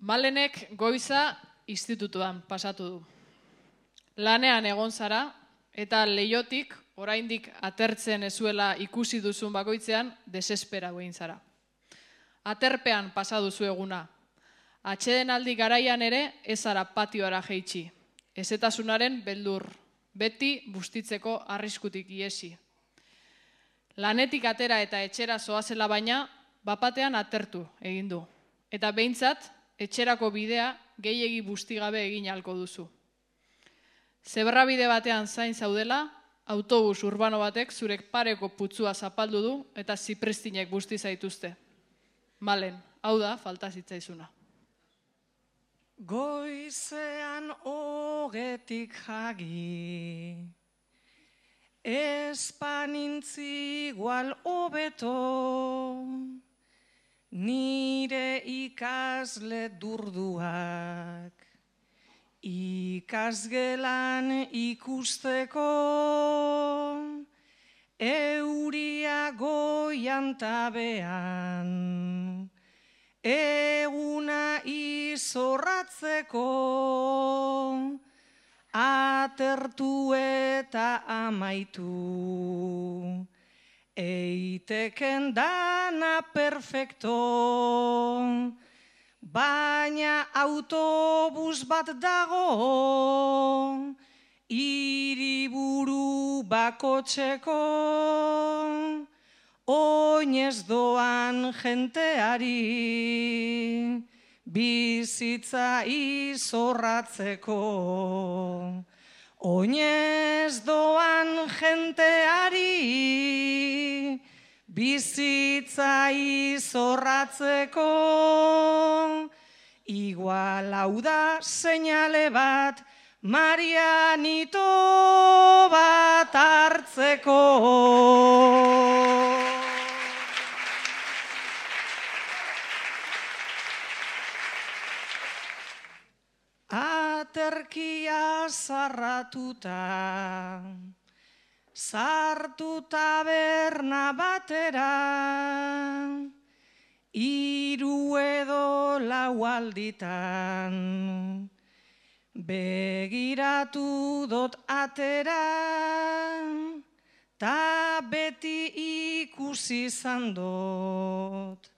Malenek goiza institutuan pasatu du. Lanean egon zara eta leihotik oraindik atertzen ezuela ikusi duzun bakoitzean desesperatu egin zara. Aterpean pasa duzu eguna. Atsedenaldi garaian ere ez zara patioara jaitsi. Ezetasunaren beldur, beti bustitzeko arriskutik iesi. Lanetik atera eta etxera zoazela baina, bapatean atertu egin du. Eta behintzat, etxerako bidea gehiegi bustigabe egin ahalko duzu. Zebrabide batean zain zaudela, autobus urbano batek zurek pareko putzua zapaldu du eta zipristinek busti zaituzte. Malen, hau da falta zitzaizuna. Goizean ogetik jagi, espanintzi igual hobeto, nire ikasle durduak, ikasgelan ikusteko, euria goian tabean, eguna izorratzeko, atertu eta amaitu, eiteken dana perfecto, baina autobus bat dago, hiriburu bakotxeko, oinez doan jenteari, bizitza izorratzeko. Oinez doan jenteari, bizitza izorratzeko. Igual hau da seinale bat, Marianito bat hartzeko. Aterkia zarratuta, sartu taberna batera, 3 edo 4 alditan, begiratu dot atera, ta beti ikusi izan dot,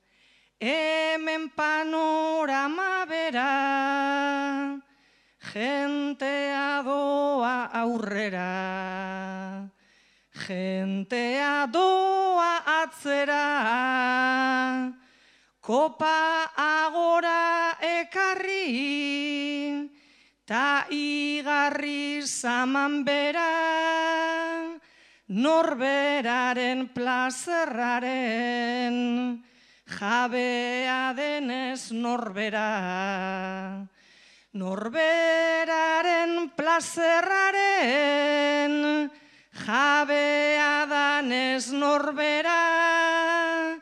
hemen panorama bera, jentea doa aurrera, jentea doa atzera, kopa agora ekarri, ta igarri zaman bera, norberaren plazerraren, jabea denez norbera. Norberaren plazerraren, jabea danez norbera,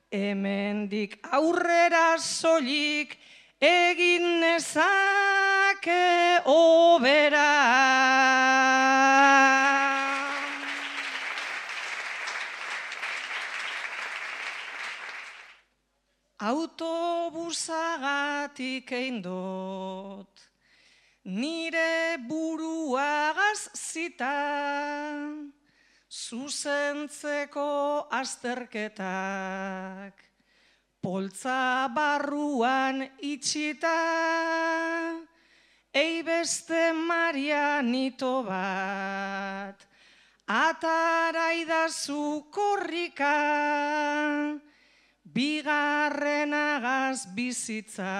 hemendik aurrera soilik egin nezake hobera. Autobusagatik egin dut, nire buruagaz zita, zuzentzeko azterketak, poltza barruan itxita, beste Marianito bat, ataraidazu korrika, bigarrenagaz bizitza,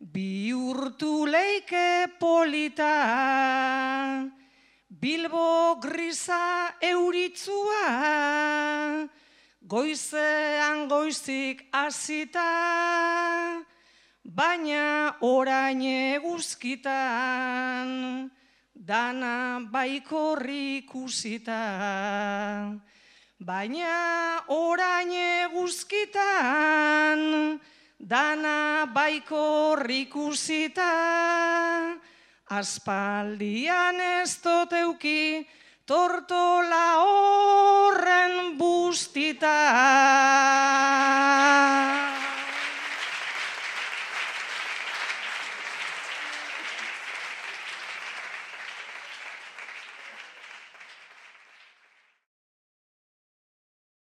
bihurtu leike polita, Bilbo grisa euritzua, goizean goizik hasita, baina orain eguzkitan, dana baikorri ikusita. Baina orain eguzkitan, dana baikorri ikusita, aspaldian ez dut euki tortola horren bustita.